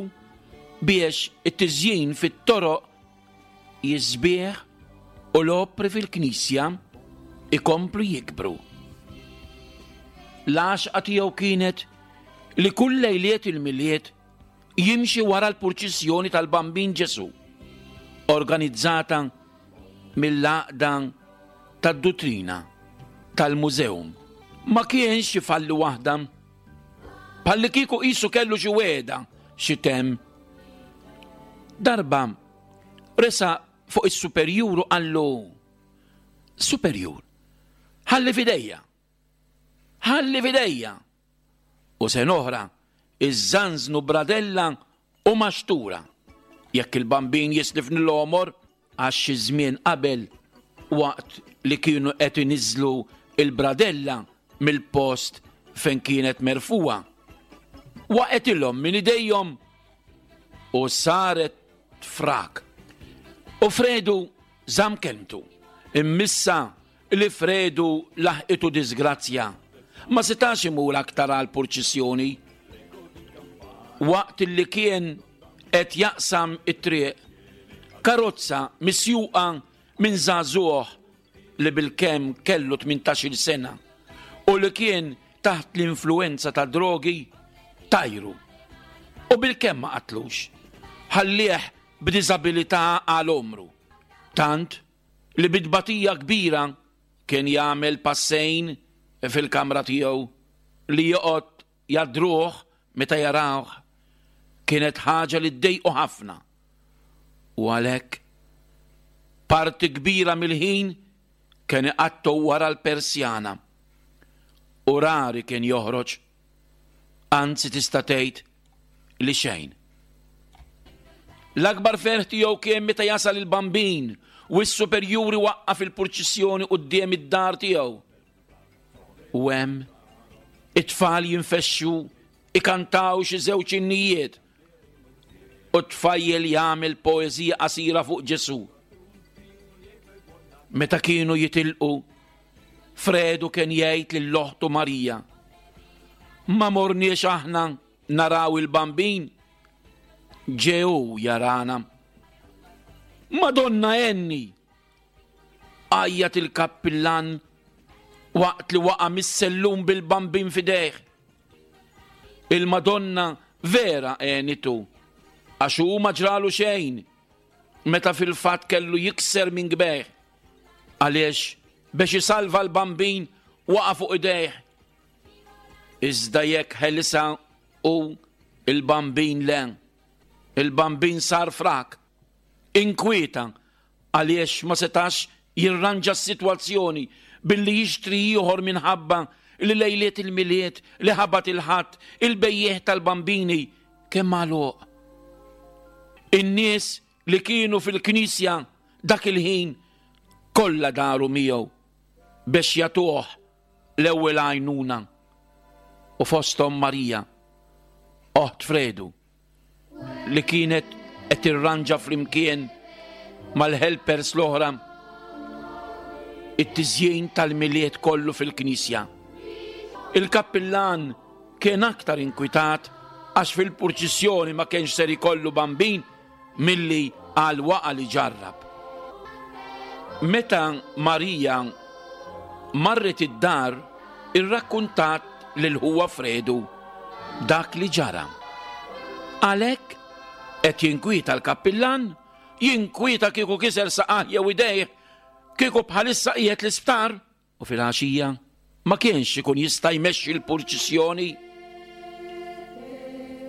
biex it-tiżjin fit-toroq jisbieħ u l-opri fil-knisja ikomplu jikbru. L-għaxqa tiegħu kienet li kull lejliet il-Milied jimxi wara l-purċissjoni tal-Bambin Ġesù, organizzata mill-Għaqda tad-Duttrina tal-Museum. Ma kienx ifalli waħda, bħallikieku qisu kellu xi wegħda xi temm. Darba resaq fuq is-superjur u qallu, Superjur, ħalli f'idejja, ħalli f'idejja! U sena oħra iżżanżnu bradella u maxtura jekk il-Bambin jislifni l-għomor għax xi żmien qabel waqt li kienu qed iniżżlu l-bradella mill-post fejn kienet merfugħa, waqgħetilhom minn idejhom u saret frak. U Fredu żamm kelmtu. Immissa li Fredu laħqitu diżgrazzja, ma setax imur aktar għall-purċissjoni. Waqt li kien qed jaqsam it-triq, karozza misjuqa minn żagħżugħ li bilkemm kellu tmintax-il sena u li kien taħt l-influwenza ta' drogi tajru u bilkemm ma qatlux, ħallieh b'diżabilità għal għomru, tant li bi tbatija kbira kien jagħmel passejn fil-kamra tiegħu li joqgħod jgħaddruh meta jarawh kienet ħaġa li ddejqu ħafna u għalhekk parti kbira mill-ħin kien iqattgħu wara l-persjana u rari kien joħroġ anzi tista' tgħid li xejn. L-akbar ferħ tiegħu kien meta jasal il-Bambin u s-superjuri waqqaf il-purċissjoni quddiem id-dar tiegħu. U hemm it-tfal jinfexxu ikantaw xi żewġ innijiet u t-tfajjel jagħmel poeżija qasira fuq Ġesù. Meta kienu jitilqu, Fredu kien jgħid lil oħtu Marija, Ma morniex aħna naraw il-Bambin? Ġew jarana. Madonna għenni! Għajjat il-kappillan waqt li waqa' mis-sellum bil-Bambin f'idejh. Il-Madonna vera għenitu għax hu ma ġralu xejn meta fil-fatt kellu jikser minn kbejh għaliex biex isalva l-Bambin waqa' fuq idejh. Iżda jekk ħelisha hu il-Bambin le. Il-Bambin sar frak. Inkwieta għaliex ma setax jirranġa s-sitwazzjoni billi jixtri ieħor minħabba li lejliet il-Milied li ħabat il-Ħadd il-bejjiegħ tal-bambini kien magħluq. In-nies li kienu fil-knisja dak il-ħin kollha daru miegħu biex jagħtuh l-ewwel għajnuna u fosthom Marija, oħt Fredu. li kienet qed tirranġa flimkien mal-helpers l-oħra it-tiżjin tal-Milied kollu fil-knisja. Il-kappillan kien aktar inkwitat għax fil-purċissjoni ma kienx ser ikollu bambin milli għal waqa li ġarrab. Meta Marija marret id-dar irrakkuntat lil ħuha Fredu dak li ġara. Għalhekk qed jinkwieta l-kappillan, jinkwieta kieku kiser saqajh jew idejh, kieku bħalissa qiegħed l-isptar. U filgħaxija ma kienx ikun jista' jmexxi l-purċissjoni.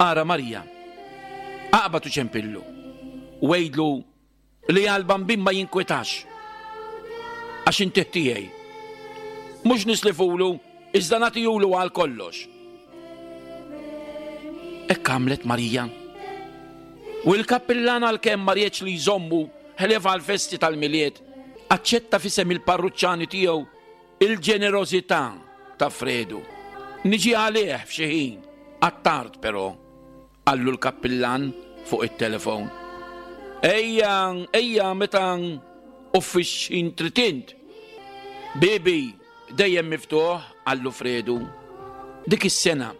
Ara Marija, aqbad u ċempillu u għidlu li għall-bambin ma jinkwetax għax intih tiegħi. Mhux nislifulu iżda nagħtihulu għal kollox. Hekk għamlet Marija. U l-kappillan għalkemm ma riedx li jżommu ħlief għall-festi tal-Milied. Aċċetta f'isem il-parruċċani tiegħu il-ġenerożità ta' Fredu. Niġi għalih f'xi ħin, għat-tard però, qallu l-kappillan fuq it-telefon. Ejja, ejja meta u fix-xħin trid int. Bibi, dejjem miftuħ, qallu Fredu. Dik is-sena,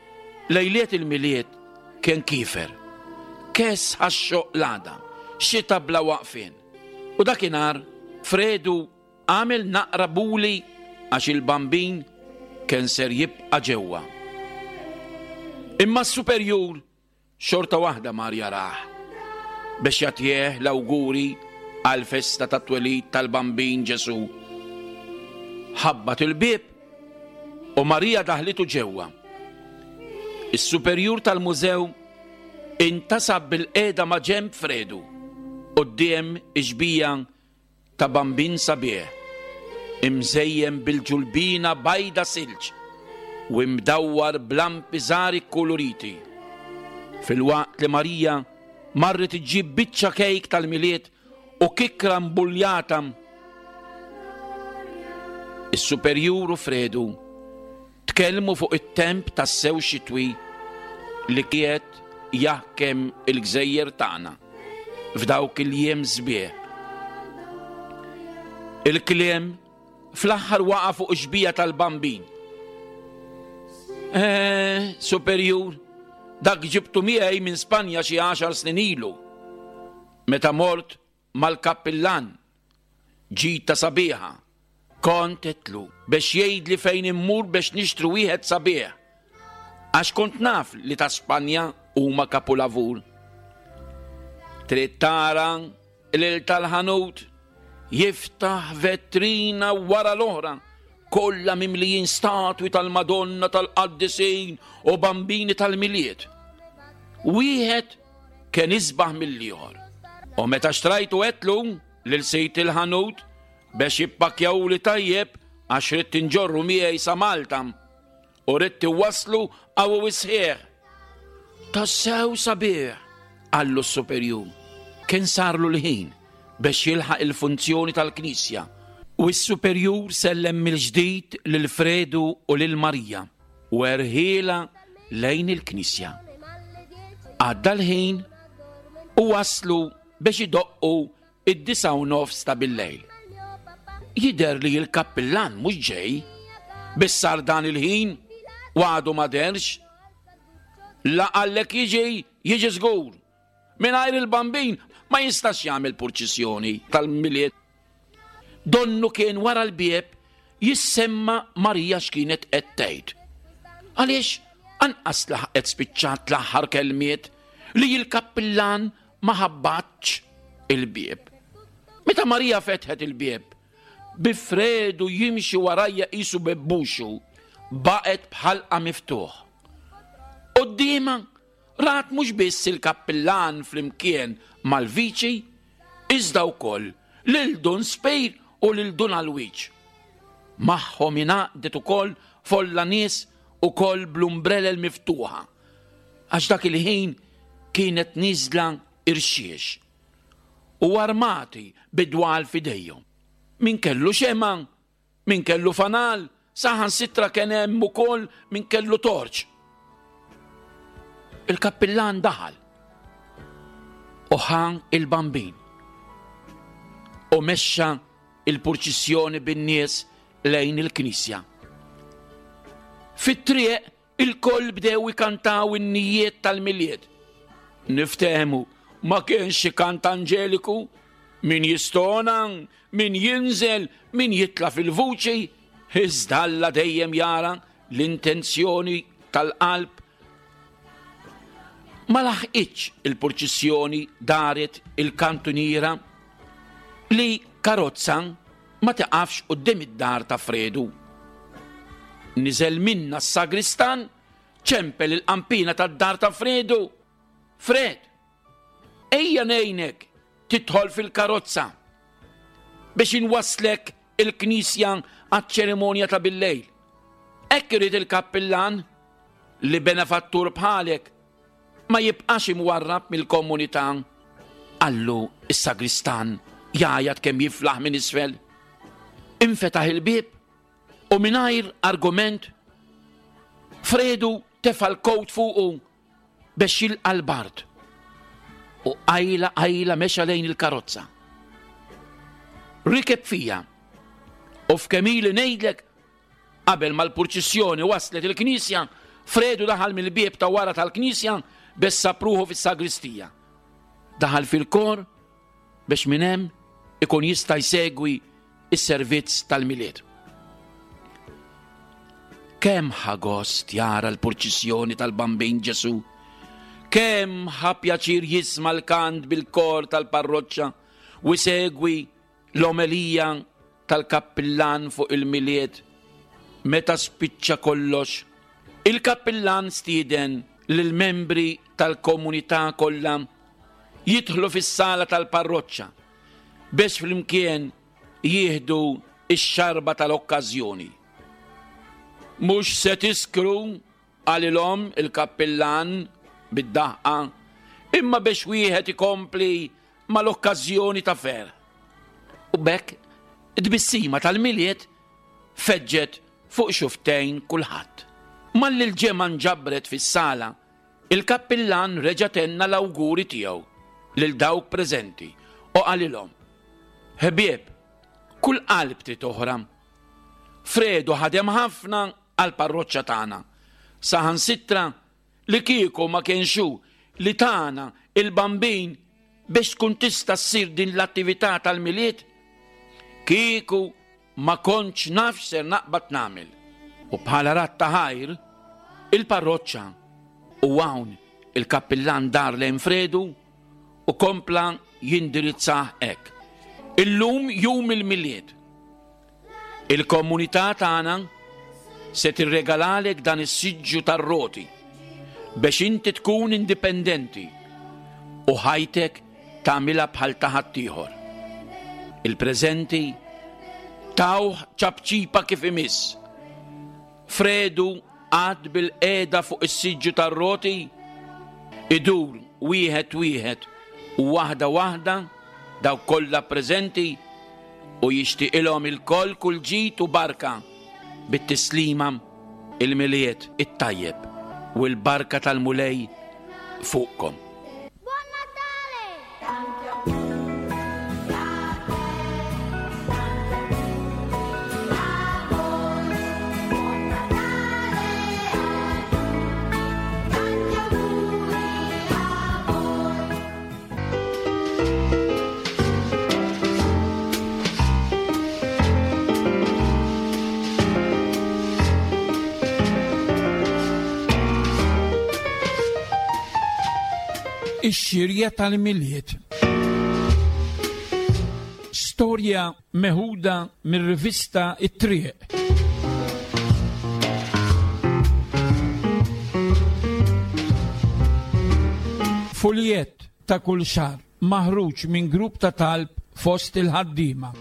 lejliet il-Milied kien kiefer. Kess ħaxxoq l-għada, xita bla waqfien. U dakinhar Fredu għamel naqra buli għax il-Bambin kien ser jibqa' ġewwa. Imma s-superjur xorta waħda mar jarah biex jagħtih l-awguri għall-festa tat-twelid tal-Bambin Ġesù. Ħabbat il-bieb u Marija daħlitu ġewwa. Is-superjur tal-mużew intasab bilqiegħda ma' ġenb Fredu quddiem ix-xbija ta' bambin sabiħ, imżejjen bil-ġulbina bajda silġ u imdawwar b'lampi żgħar ikkuluriti, filwaqt li Marija marret iġġib biċċa kejk tal-Milied u kikkra mbuljata. Is-Superjur u Fredu Tkellmu fuq it-temp tassew xitwi li qiegħed jaħkem il-gżejjer tagħna f'dawk il-jiem sbieħ. Il-kliem fl-aħħar waqa' fuq ix-xbija tal-Bambin. Eh, superjur, dak ġibtu miegħi minn Spanja xi għaxar snin ilu. Meta mort mal-kappillan. Ġita sabiħa. Kont għedtlu bex jgħidli fejn immur bex nixtri wieħed sabiħ. Għax kont naf li ta' Spanja huma kapulavur. Trid tara lil tal-ħanut jiftaħ vetrina wara l-oħra kollha mimlijin statwi tal-Madonna tal-Qaddisin u bambini tal-Milied. Wieħed kien isbaħ mill-ieħor. U meta xtrajtu għedtlu lil sid il-ħanut bex jippakkjawli tajjeb għax ridt inġorru miegħi sa Malta u ridt iwasslu qawwi u sħiħ. Tassew sabiħ, qallu s-superjur. Kien sarlu l-ħin bex jilħaq il-funzjoni tal-knisja u s-superjur sellem mill-ġdid lil Fredu u lil Marija. u erħielha lejn il-knisja. Għadda l-ħin u waslu biex idoqqu id-9:30 ta' billejl. Jidher li l-kappillan mhux ġej, biss sar dan il-ħin u għadu ma dehrx. La qallek jiġi, jiġi żgur. Mingħajr il-Bambin ma jistax jagħmel purċissjoni tal-Milied. Donnu kien wara l-bieb jissemma Marija x'kienet qed tgħid. Għaliex anqas laħqet spiċċat l-aħħar kelmiet li l-kappillan ma ħabbatx il-bieb. Meta Marija fetħet il-bieb, bi Fredu jimxi warajja qisu bebbuxu, baqgħet b'ħalqha miftuħ. Quddiemha Rat mhux biss il-kappillan flimkien mal-viċi, iżda wkoll lil Dun Spir u lil Dun Alwiġ. Magħhom ingħaqdet ukoll folla nies ukoll bl-umbrelel miftuħa, għax dak il-ħin kienet nieżla irxiex, u armati bi dwal f'idejhom. Min kellu xemgħa Min kellu fanal, saħansitra kien hemm ukoll min kellu torċ. Il-kappillan daħal u ħa il-bambin u mexxa il-purċissjoni bin-nies lejn il-knisja. Fit-triq Ilkoll bdew ikantaw innijiet tal-Milied. Niftehmu, ma kienx xi kant anġeliku, min jistona, min jinżel, min jitla' fil-vuċi, iżda Alla dejjem jara l-intenzjoni tal-qalb. Ma laħqitx il-purċissjoni daret il-kantuniera li karozza ma tiqafx quddiem id-dar ta' Fredu. Niżel minnha s-sagristan, ċempel il-qampina tad-dar ta' Fredu. Fred, ejja ngħinek tidħol fil-karozza biex inwasslek il-knisja għaċ-ċerimonja ta' billejl. Hekk irid il-kappillan li benefattur bħalek ma jibqax imwarrab mill-komunità, qallu s-sagristan jgħajjat kemm jiflaħ minn isfel. Infetaħ il-bieb u mingħajr argument Fredu tefa' l-kowt fuqu biex jilqa' l-bard u qajla qajla mexa lejn il-karozza. Rikeb fija u f'kemm ili ngħidlek Qabel ma l-purċissjoni waslet il-knisja, Fredu daħal mill-bieb ta' wara tal-knisja biex sab ruħu fis-sagristija. Daħal fil-kor biex minn hemm ikun jista' jsegwi s-servizz tal-Milied. Kemm ħa gost jara l-purċissjoni tal-Bambin Ġesù! Kemm ħa pjaċir jisma' l-kant bil-kor tal-parroċċa u jsegwi L-omelija tal-kappillan fuq il-Milied Meta spiċċa kollox, il-kappillan stieden lill-membri tal-komunità kollha jidħlu fis-sala tal-parroċċa biex flimkien jieħdu x-xarba tal-okkażjoni. Mhux se tiskru, qalilhom il-kappillan bid-daħqa, imma biex wieħed ikompli mal-okkażjoni ta' ferħ. U b'hekk it-tbissima tal-Milied feġġet fuq xufftejn kulħadd. Malli l-ġemgħa nġabret fis-sala, il-kappillan reġa' tenna l-awguri tiegħu lil dawk preżenti u qalilhom, Ħbieb, kull qalb trid oħra. Fredu ħadem ħafna għall-parroċċa tagħna. Saħansitra Li kieku ma kienx hu li tana il-Bambin biex tkun tista' ssir din l-attività tal-Milied, kieku ma kontx naf x'ser naqbad nagħmel. U bħala radd ta' ħajr, il-parroċċa, u hawn il-kappillan dar lejn Fredu u kompla jindirizzah hekk, Illum jum il-Milied. Il-komunità tagħna se tirregalalek dan is-siġġu tar-roti biex inti tkun indipendenti u ħajtek tagħmilha bħal ta' ħaddieħor. Il-preżenti tawh ċapċipa kif imiss. Fredu qagħad bilqiegħda fuq is-siġġu tar-roti, idur wieħed wieħed u waħda waħda dawk kollha preżenti u jixtieqilhom ilkoll kull ġid u barka bit-tislima il-Milied it-tajjeb u l-barka tal-Mulej fuqkom. Ix-xirja tal-Milied. Storja meħuda mir-rivista It-Triq. Fuljett ta' kull xahar maħruġ minn grupp ta' talb fost il-ħaddiema.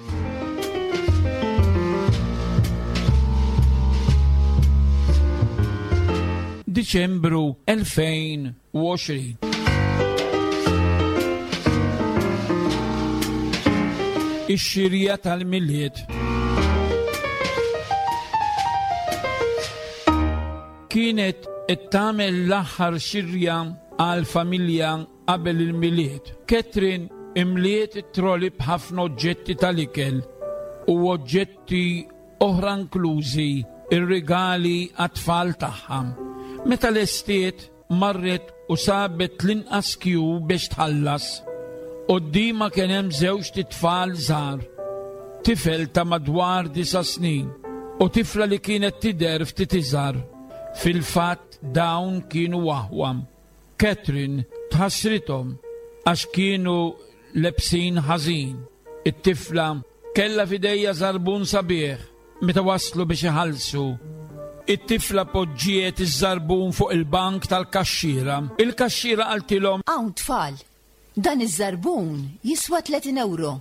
Diċembru 2020. Ix-xirja tal-Milied. Kienet qed tagħmel l-aħħar xirja għall-familja qabel il-Milied. Catherine imliet it-trolley b'ħafna oġġetti tal-ikel u oġġetti oħra inklużi r-rigali għat-tfal tagħha. Meta lestiet, marret u sabet l-inqas kju biex tħallas. Quddiemha kien hemm żewġt itfal żgħar, tifel ta' madwar disa' snin u tifla li kienet tidher ftit iżgħar. Fil-fatt dawn kienu aħwa. Catherine tħassrithom għax kienu lebsin ħażin. It-tifla kellha f'idejha żarbun sabiħ meta waslu biex iħallsu. It-tifla poġġiet iż-żarbun fuq il-bank tal-kaxxiera. Il-kaxxiera qaltilhom. Hawn tfal, dan iż-żarbun jiswa 30 ewro.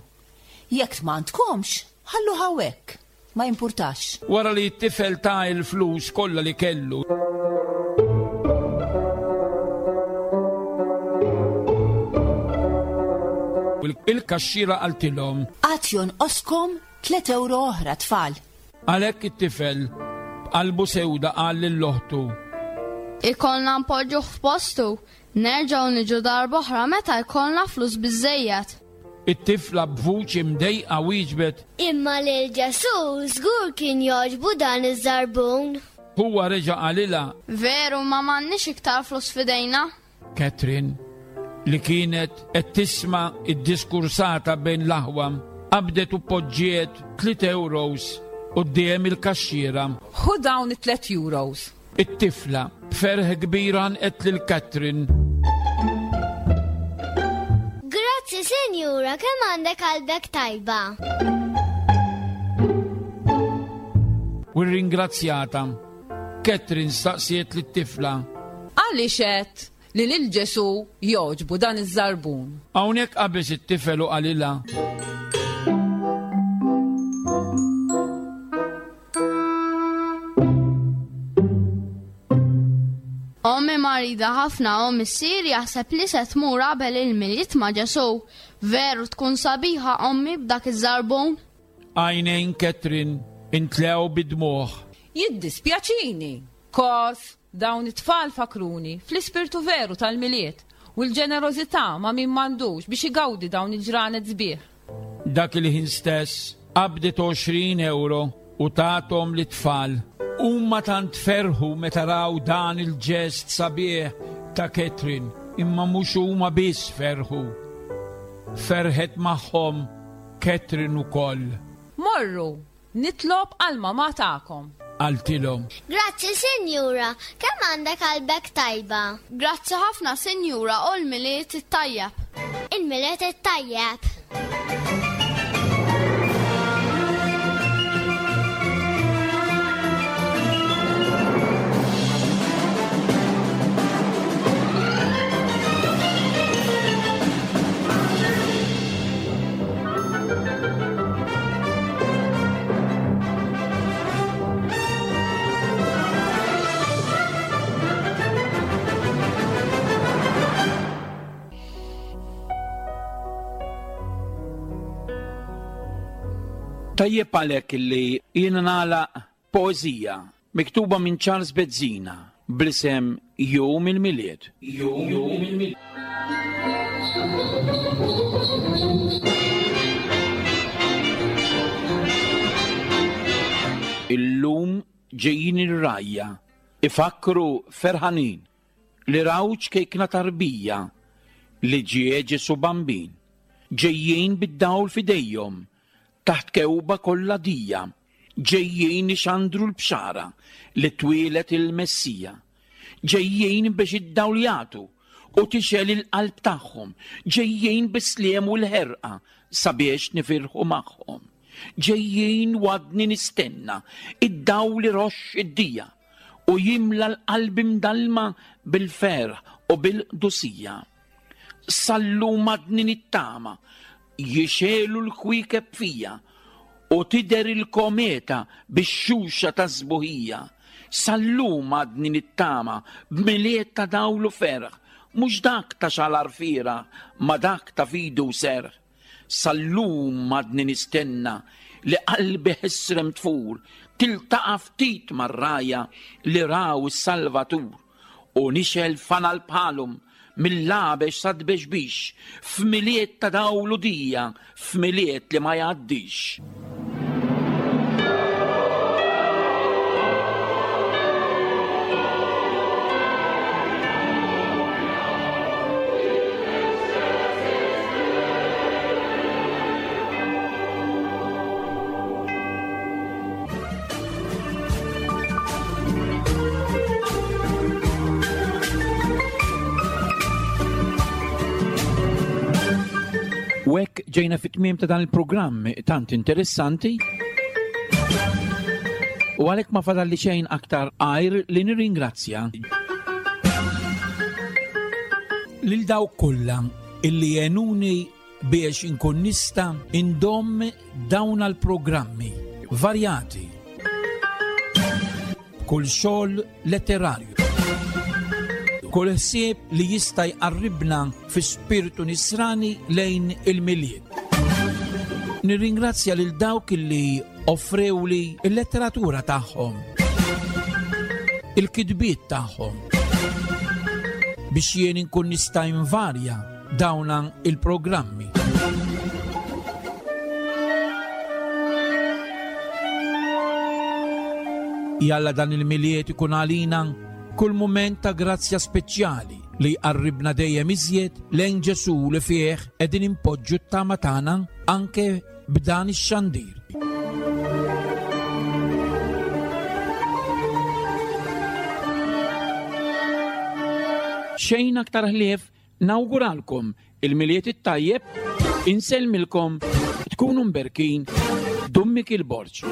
Jekk m'għandkomx, ħalluh hawnhekk. Ma jimpurtax. Wara li t-tifel ta l-flus kollha li kellu. Il-kaxxiera qaltilhom. Għad jonqoskom? Tlet ewro oħra, tfal. Għalhekk it-tifel, b'qalbu sewda qal lil oħtu. Ikollna npoġġuh f'postu, nerġgħu niġu darb'oħra meta jkollna flus biżżejjed. It-tifla b'vuċi mdejqa wieġbet. Imma lil Ġesù żgur kien jogħġbu dan iż-żarbun. Huwa reġa' qalilha. Veru, ma m'għandniex iktar flus f'idejna. Catherine, li kienet qed tisma' d-diskursata bejn l-aħwa, qabdet u poġġiet tliet euros quddiem il-kaxxiera. Ħu dawn it-tliet euros. It-tifla, b'ferħ kbir għannqet lil Catherine. Grazzi sinjura, kemm għandek qalbek tajba. U rringrazzjata. Catherine staqsiet lit-tifla. Għaliex għedt li lil Ġesù jogħġbu dan iż-żarbun? Hawnhekk qabeż it-tifel u qalilha. Ommi marida ħafna u missieri jaħseb li se tmur qabel il-Milied ma' Ġesù. Veru tkun sabiħa ommi b'dak iż-żarbun? Għajnejn Catherine intlew bid-dmugħ. Jiddispjaċini, kos Dawn it-tfal fakkruni fl-ispirtu veru tal-Milied u l-ġenerożità ma' min m'għandux biex igawdi dawn il-ġranet sbieħ. Dak il-ħin stess qabdet 20 ewro u tathom lit-tfal. Huma tant ferħu meta raw dan il-ġest sabiħ ta' Catherine, imma mhux huma biss ferħu. Ferħet magħhom Catherine ukoll. Morru, Nitlob għall-mamà tagħkom. Qaltilhom. Grazzi sinjura, kemm għandek qalbek tajba. Grazzi ħafna sinjura u l-Milied it-tajjeb. Il-Milied it-tajjeb. Tajjeb għalhekk li jiena nagħlaq poeżija miktuba minn Charles Bezzina bl-isem Jum il-Milied. Jum il-Milied. Illum ġejjin ir-rgħajja ifakkru ferħanin li raw ċkejkna tarbija li ġie Ġesù Bambin. Ġejjin bid-dawl f'idejhom taħt kewba kollha dija. Ġejjin ixandru l-bxara li twieled il-Messija. Ġejjin biex id-dawl jagħtu u tixgħel il-qalb tagħhom. Ġejjin bis-sliem u l-ħerqa sabiex nifirħu magħhom. Ġejjin u għadni nistenna id-dawl iroxx id-dija u jimla l-qalb imdallma bil-ferħ u bil-qdusija. Sal-lum għadni nittama Jixegħlu l-kwiekeb fija u tidher il-kometa bix-xuxa tas-sbuħija. Sal-lum għadni nittama b'Milied ta' dawl u ferħ, mhux dak ta' xalar fieragħ ma dak ta' fidi u serħ. Sal-lum għadni nistenna li qalbi ħesrem tfur, tiltaqa' ftit mar-rgħajja li raw is-Salvatur. U nixgħel fanal bħalhom mill-għabex sat-tbexbix, f'Milied ta' dawl u dija, f'Milied li ma jgħaddix. U hekk ġejna fit-tmiem ta' dan il-programm tant interessanti. U għalhekk ma fadalli xejn aktar għajr li nirringrazzja lil dawk kollha illi għenuni biex inkun nista' indomm dawn għall-programmi varjati b'kull xogħol letterarju. Kull ħsieb li jista' jqarribna fi spirtu nisrani lejn il-Milied. Nirringrazzja lil dawk li offrewli l-letteratura tagħhom, il-kitbiet tagħhom, biex jien inkun nista' invarja dawna il-programmi. Jalla dan il-miliet ikun għalina kull mument ta' grazzja speċjali li jqarribna dejjem iżjed lejn Ġesù li fih qegħdin inpoġġu t-tama tagħna anke b'dan ix-xandir. Xejn aktar ħlief nawguralkom il-Milied it-tajjeb, insellmilkom, tkunu mberkin, Dun Mikiel Borg.